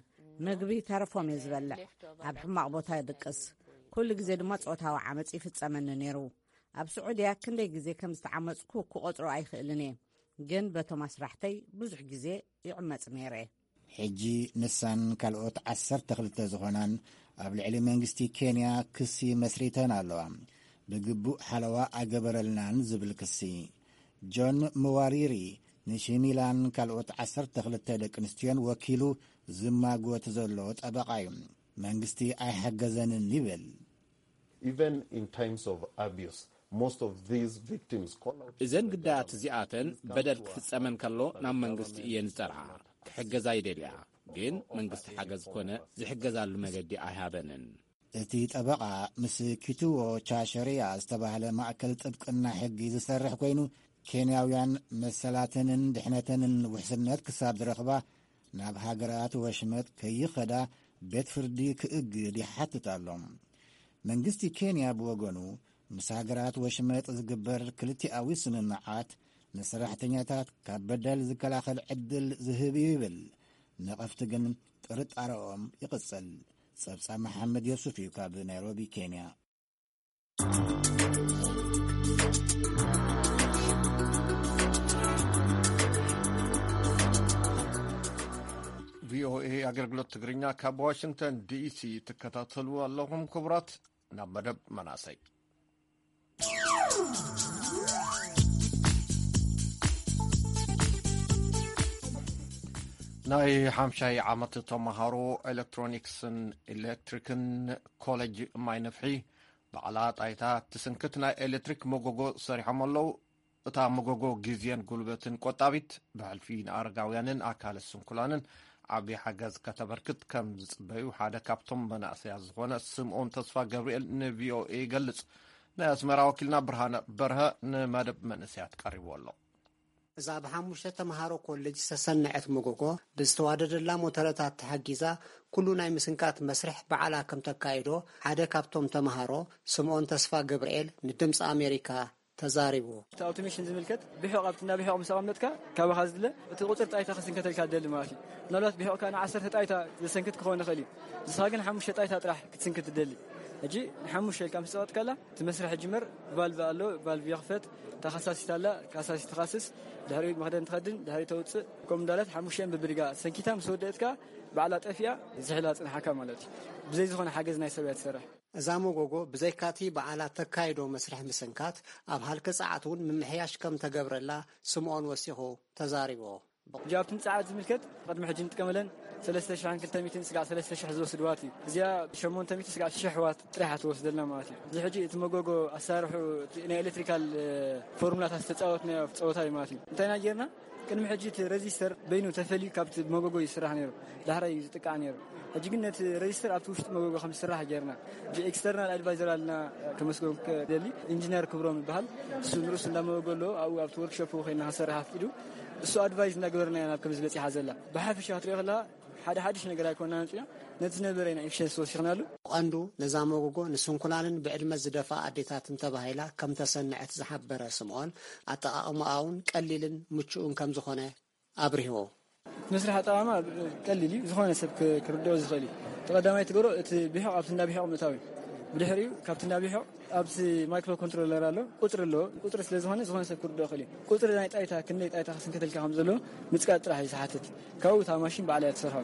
ምግቢ ተረፎም እየ ዝበልዕ። ኣብ ሕማቕ ቦታ ይድቅስ። ኩሉ ግዜ ድማ ጾታዊ ዓመጽ ይፍጸመኒ ነይሩ። ኣብ ስዑድያ ክንደይ ግዜ ከም ዝተዓመጽኩ ክቖጽሮ ኣይኽእልን እየ፣ ግን በቶም ኣስራሕተይ ብዙሕ ግዜ ይዕመጽ ነይረ። ሕጂ ንሳን ካልኦት ዓሰርተ ክልተ ዝኾናን ኣብ ልዕሊ መንግስቲ ኬንያ ክሲ መስሪተን ኣለዋ። ብግቡእ ሓለዋ ኣይገበረልናን ዝብል ክሲ። ጆን ምዋሪሪ ንሽሚላን ካልኦት ዓሰርተ ክልተ ደቂ ኣንስትዮን ወኪሉ ዝማጎት ዘሎ ጠበቓ እዩ። መንግስቲ ኣይሓገዘንን ይብል። Even in times of abuse, most of these victims call out to እዘን the ግዳያት government. እዚኣተን በደል ክፍጸመን ከሎ ናብ መንግስቲ እየን ዝጸርዓ። ክሕገዛ ይደልያ፣ ግን መንግስቲ ሓገዝ ኮነ ዝሕገዛሉ መገዲ ኣይሃበንን። እቲ ጠበቓ ምስ ኪትዎ ቻሸሪያ ዝተባህለ ማእከል ጥብቅና ሕጊ ዝሰርሕ ኮይኑ፣ ኬንያውያን መሰላተንን ድሕነተንን ውሕስነት ክሳብ ዝረኽባ ናብ ሃገራት ወሽመጥ ከይኸዳ ቤት ፍርዲ ክእግድ ይሓትት ኣሎ። መንግስቲ ኬንያ ብወገኑ፣ ምስ ሃገራት ወሽመጥ ዝግበር ክልቲኣዊ ስምምዓት ንሰራሕተኛታት ካብ በደል ዝከላኸል ዕድል ዝህብ እዩ ይብል። ነቐፍቲ ግን ጥርጣረኦም ይቕጽል። ጸብጻብ መሓመድ ዮሱፍ እዩ ካብ ናይሮቢ ኬንያ። ቪኦኤ ኣገልግሎት ትግርኛ ካብ ዋሽንግተን ዲሲ ትከታተሉ ኣለኹም። ክቡራት፣ ናብ መደብ መናእሰይ። ናይ ሓምሻይ ዓመት ተምሃሮ ኤሌክትሮኒክስን ኤሌክትሪክን ኮሌጅ ማይ ነፍሒ ባዕላ ጣይታ ትስንክት ናይ ኤሌክትሪክ መጎጎ ሰሪሖም ኣለዉ። እታ መጎጎ ግዜን ጉልበትን ቆጣቢት፣ ብሕልፊ ንኣረጋውያንን ኣካለ ስንኩላንን ዓቢ ሓገዝ ከተበርክት ከም ዝጽበዩ ሓደ ካብቶም መናእሰያት ዝኾነ ስምኦን ተስፋ ገብርኤል ንቪኦኤ ይገልጽ። ናይ ኣስመራ ወኪልና ብርሃነ በርሀ ንመደብ መንእሰያት ቀሪቡ ኣሎ። እዛ ብሓሙሽተ ተምሃሮ ኮሌጅ ዝተሰነዐት መጎጎ ብዝተዋደደላ ሞተረታት ተሓጊዛ ኩሉ ናይ ምስንካት መስርሕ ባዕላ ከም ተካይዶ ሓደ ካብቶም ተምሃሮ ስምኦን ተስፋ ገብርኤል ንድምፂ ኣሜሪካ ተዛሪቡ። እቲ ኣውቶሜሽን ዝምልከት ብሒቕ ኣብቲ እንዳ ብሒቕ ምስ ኣቐመጥካ ካባኻ ዝድለ እቲ ቁፅሪ ጣይታ ክስንከተልካ ትደሊ ማለት እዩ። ምናልባት ብሒቕካ ንዓሰርተ ጣይታ ዘሰንክት ክኸውን ይኽእል እዩ። ንስኻ ግን ሓሙሽተ ጣይታ ጥራሕ ክትስንክት ትደሊ። ሕጂ ንሓሙሽተ ኢልካ ምስ ጸቐጥካላ እቲ መስርሕ ይጅመር። ቫልቭ ኣሎ፣ ቫልቭ ይኽፈት። እታ ካሳሲት ኣላ፣ ካሳሲት ትኻስስ። ድሕሪኡ መኽደን ትኸድን፣ ድሕሪኡ ተውጽእ። ከምኡ እንዳለት ሓሙሽተን ብብድጋ ሰንኪታ ምስ ወደእትካ ባዕላ ጠፊኣ ዝሕላ ጽንሓካ ማለት እዩ። ብዘይ ዝኾነ ሓገዝ ናይ ሰብ እያ ትሰርሕ። እዛ መጎጎ ብዘይካቲ ባዕላ ተካይዶ መስርሕ ምስንካት፣ ኣብ ሃልኪ ጸዓት እውን ምምሕያሽ ከም ተገብረላ ስምኦን ወሲኹ ተዛሪቦ። ሕጂ ኣብቲ ንጸዓት ዝምልከት ቅድሚ ሕጂ ንጥቀመለን ሰለስተ ሽሕን ክልተ ሚእትን ስጋዕ ሰለስተ ሽሕ ዝወስድ ዋት እዩ። እዚኣ ሸሞንተ ሚእቲ ስጋዕ ሽሕ ዋት ጥራሕ ትወስደልና ማለት እዩ። እዚ ሕጂ እቲ መጎጎ ኣሳርሑ ናይ ኤሌክትሪካል ፎርሙላታት ዝተጻወትናዮ ጸወታ እዩ ማለት እዩ። እንታይ ኢና ጌርና? ቅድሚ ሕጂ እቲ ረዚስተር በይኑ ተፈልዩ ካብቲ መጎጎ ይስራሕ ነይሩ፣ ዳሕራይ እዩ ዝጥቃዕ ነይሩ። ሕጂ ግን ነቲ ረዚስተር ኣብቲ ውሽጢ መጎጎ ከም ዝስራሕ ጌርና። ሕጂ ኤክስተርናል ኣድቫይዘር ኣለና፣ ከመስገን ክደሊ። ኢንጂነር ክብሮም ይበሃል። እሱ ንርእሱ እንዳመጎጎ ኣለዎ። ኣብኡ ኣብቲ ወርክሾፕ ኮይና ክሰርሕ ኣፍቂዱ። እሱ ኣድቫይዝ እንዳገበርና ኢና ናብ ከምዚ በጺሓ ዘላ። ብሓፈሻ ክትሪኦ ከለኻ ሓደ ሓድሽ ነገር ኣይኮንና መጺና፣ ነቲ ዝነበረ ኢና ኤፊሽንሲ ወሲኽናሉ። ቀንዱ ነዛ መጎጎ ንስንኩላንን ብዕድመ ዝደፍኣ ኣዴታትን ተባሂላ ከም ተሰንዐት ዝሓበረ ስምኦን፣ ኣጠቓቕማኣ እውን ቀሊልን ምቹእን ከም ዝኾነ ኣብሪህዎ። እቲ መስርሕ ኣጠቓቕማ ቀሊል እዩ፣ ዝኾነ ሰብ ክ-፣ ክርድኦ ዝኽእል እዩ። እቲ ቀዳማይ ትገብሮ እቲ ብሒቕ ኣብቲ እንዳ ብሒቕ ምእታው እዩ። ብድሕሪኡ ካብቲ እንዳ ብሒቕ ኣብቲ ማይክሮ ኮንትሮለር ኣሎ፣ ቁጽሪ ኣለዎ። ቁጽሪ ስለ ዝኾነ ዝኾነ ሰብ ክርድኦ ይኽእል እዩ። ቁጽሪ ናይ ጣይታ ክንደይ ጣይታ ክስንከተልካ ከም ዘለዎ ምጽቃጥ ጥራሕ እዩ ዝሓትት። ካብኡ እታ ማሽን ባዕላ እያ ትሰርሖ።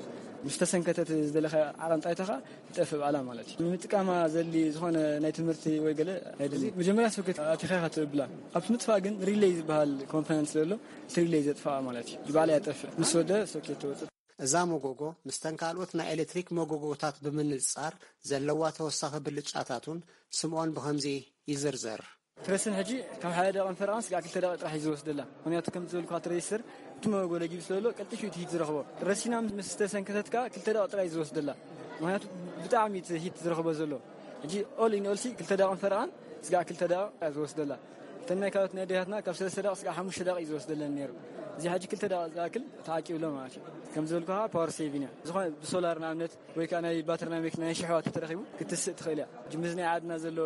ምስ ተሰንከተት ዝደለኻዮ ዓቐን ጣይታ ኸኣ ይጠፍእ ባዕላ ማለት እዩ። ንምጥቃማ ዘድሊ ዝኾነ ናይ ትምህርቲ ወይ ገለ ኣይደሊ። መጀመርያ ሶኬት ኣቲኻ ኢኻ ትብላ። ኣብቲ ምጥፋእ ግን ሪሌይ ዝበሃል ኮምፖነንት ዘሎ፣ እቲ ሪሌይ ዘጥፍኣ ማለት እዩ። ባዕላ እያ ትጠፍእ። ምስ ወደ ሶኬት ትወጽእ። እዛ መጎጎ ምስተን ካልኦት ናይ ኤሌክትሪክ መጎጎታት ብምንጽጻር ዘለዋ ተወሳኺ ብልጫታቱን ስምኦን ብኸምዚ ይዝርዝር። ትረስን ሕጂ ካብ ሓደ ደቂቕን ፈረቓን ስጋዕ ክልተ ደቂቕ ጥራሕ እዩ ዝወስደላ። ምኽንያቱ ከም ዝበልኩኻ እቲ ረዚስተር እቲ መጎጎ ለጊቡ ስለ ዘሎ ቀልጢፉ እቲ ሂት ዝረኽቦ። ረሲና ምስ ተሰንከተት ከኣ ክልተ ደቂቕ ጥራሕ እዩ ዝወስደላ። ምኽንያቱ ብጣዕሚ እቲ ሂት ዝረኽቦ ዘሎ። ሕጂ ኦል ኢን ኦል ሲ ክልተ ደቂቕን ፈረቓን ስጋዕ ክልተ ደቂቕ እያ ዝወስደላ። እተን ናይ ካልኦት ናይ ኣዴታትና ካብ ሰለስተ ደቂቕ ስጋዕ ሓሙሽተ ደቂቕ እዩ ዝወስደለን ነይሩ። እዚ ሕጂ ክልተ ደቂቕ ዝኣክል ተዓቂብሎ ማለት እዩ። ከም ዝበልኩኻ ፓወር ሴቪን እያ። ዝኾነ ብሶላር ንኣብነት ወይ ከዓ ናይ ባትሪ ናይ መኪና ናይ ሽሕዋት ተረኺቡ ክትስእ ትኽእል እያ። ሕጂ ምስ ናይ ዓድና ዘሎ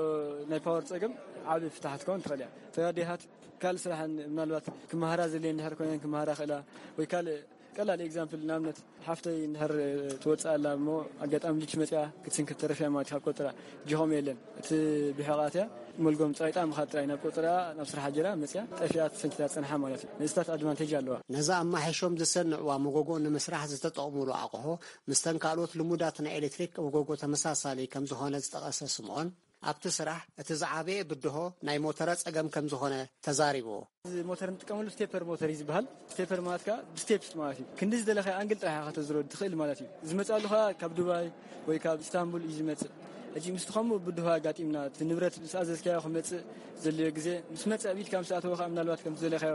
ናይ ፓወር ጸገም ዓቢ ፍታሕ ክትከውን ትኽእል እያ። እተን ኣዴታት ካልእ ስራሕ ምናልባት ክመሃራ ዘድልየን እንድሕር ኮይነን ክመሃራ ይኽእላ፣ ወይ ካልእ ቀላል ኤግዛምፕል ንኣብነት ሓፍተይ እንድሕር ትወጽእ ኣላ እሞ ኣጋጣሚ ልጅ መጽያ ክትስንክት ተረፊያ ማለት ካብ ቆጽራ ጅኾም የለን። እቲ ብሕቓት እያ መልጎም ጸይጣ ምኻድ ጥራይ ናብ ቆጽራ ናብ ስራሕ ጀራ መጽያ ጠፊኣ ተሰንኪታ ጸንሓ ማለት እዩ። ንእስታት ኣድቫንቴጅ ኣለዋ። ነዛ ኣማሒሾም ዝሰንዕዋ መጎጎ ንምስራሕ ዝተጠቕሙሉ ኣቕሑ ምስተን ካልኦት ልሙዳት ናይ ኤሌክትሪክ መጎጎ ተመሳሳሊ ከም ዝኾነ ዝጠቐሰ ስምኦን፣ ኣብቲ ስራሕ እቲ ዝዓበየ ብድሆ ናይ ሞተራ ጸገም ከም ዝኾነ ተዛሪቡ። እዚ ሞተር እንጥቀመሉ ስቴፐር ሞተር እዩ ዝበሃል። ስቴፐር ማለት ከዓ ብስቴፕስ ማለት እዩ። ክንዲ ዝደለኻዮ ኣንግል ጥራሕ ኢኻ ከተዝሮ ትኽእል ማለት እዩ። ዝመፅኣሉ ከዓ ካብ ዱባይ ወይ ካብ ኢስታንቡል እዩ ዝመፅእ። ሕጂ ምስቲ ከምኡ ብድሆ ኣጋጢምና፣ እቲ ንብረት ምስ ኣዘዝካዮ ክመፅእ ዘድልዮ ግዜ ምስ መፀ፣ ኣብ ኢድካ ምስ ኣተወ ከዓ ምናልባት ከምቲ ዝደለኻዮ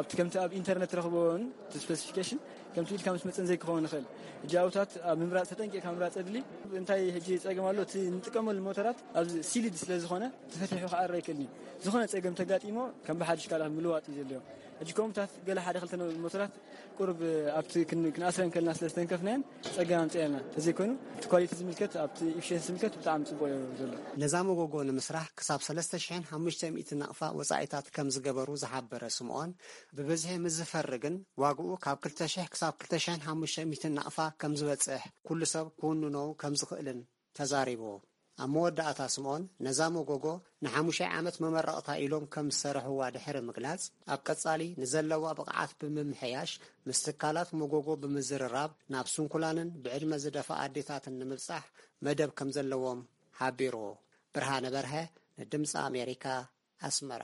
ኣብቲ ከምቲ ኣብ ኢንተርነት ትረኽቦን እቲ ስፔሲፊኬሽን ከምቲ ኢድካ ምስ መፅን ዘይክኸውን ይኽእል። ሕጂ ኣብታት ኣብ ምምራፅ ተጠንቂቕካ ምምራፅ ኣድሊ። እንታይ ሕጂ ፀገም ኣሎ? እቲ እንጥቀመሉ ሞተራት ኣብዚ ሲልድ ስለ ዝኾነ ተፈቲሑ ክዓረ ኣይክእልን እዩ። ዝኾነ ጸገም ተጋጢሞ ከም ብሓድሽ ካልኣት ምልዋጥ እዩ ዘድልዮ። ሕጂ ከምኡታት ገለ ሓደ ክልተ ነ-፣ ሞተራት ቁሩብ ኣብቲ ክን-፣ ክንኣስረን ከለና ስለ ዝተንከፍናየን ጸገም ኣምጺኣልና። ተዘይኮይኑ እቲ ኳሊቲ ዝምልከት፣ ኣብቲ ኢፊሽንሲ ዝምልከት ብጣዕሚ ጽቡቕ እዩ ዘሎ። ነዛ መጎጎ ንምስራሕ ክሳብ ሰለስተ ሽሕን ሓሙሽተ ሚእትን ናቕፋ ወጻኢታት ከም ዝገበሩ ዝሓበረ ስምኦን፣ ብብዝሒ ምስ ዝፈሪ ግን ዋግኡ ካብ ክልተ ሽሕ ክሳብ ክልተ ሽሕን ሓሙሽተ ሚእትን ናቕፋ ከም ዝበጽሕ ኩሉ ሰብ ክውንኖ ከም ዝኽእልን ተዛሪቡ። ኣብ መወዳእታ ስምኦን ነዛ መጎጎ ንሓሙሻይ ዓመት መመረቕታ ኢሎም ከም ዝሰርሕዋ ድሕሪ ምግላጽ፣ ኣብ ቀጻሊ ንዘለዋ ብቕዓት ብምምሕያሽ ምስ ትካላት መጎጎ ብምዝርራብ ናብ ስንኩላንን ብዕድመ ዝደፍኣ ኣዴታትን ንምብጻሕ መደብ ከም ዘለዎም ሓቢሩ። ብርሃነ በርሀ ንድምጺ ኣሜሪካ፣ ኣስመራ።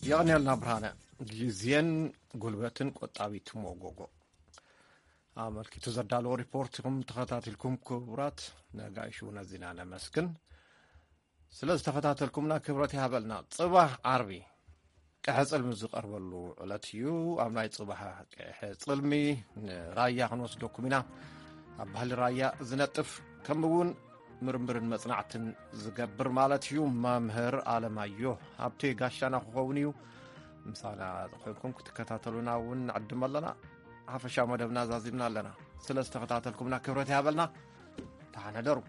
የቐንየልና ብርሃነ። ግዜን ጉልበትን ቆጣቢት መጎጎ ኣመልኪቱ ዘዳለዎ ሪፖርት ኢኹም ተኸታቲልኩም። ክቡራት ነጋይሹ ነዚና ነመስግን። ስለ ዝተኸታተልኩምና ክብረት ይሃበልና። ጽባሕ ዓርቢ ቀሐ ጽልሚ ዝቐርበሉ ዕለት እዩ። ኣብ ናይ ጽባሕ ቀሐ ጽልሚ ንራያ ክንወስደኩም ኢና። ኣብ ባህሊ ራያ ዝነጥፍ፣ ከምኡ እውን ምርምርን መጽናዕትን ዝገብር ማለት እዩ። መምህር ኣለማዮ ሃብቴ ጋሻና ክኸውን እዩ። ምሳና ኮይንኩም ክትከታተሉና እውን ንዕድም ኣለና። ሓፈሻዊ መደብና ዛዚምና ኣለና። ስለ ዝተኸታተልኩምና ክብረት ይሃበልና። ደሓን ሕደሩ።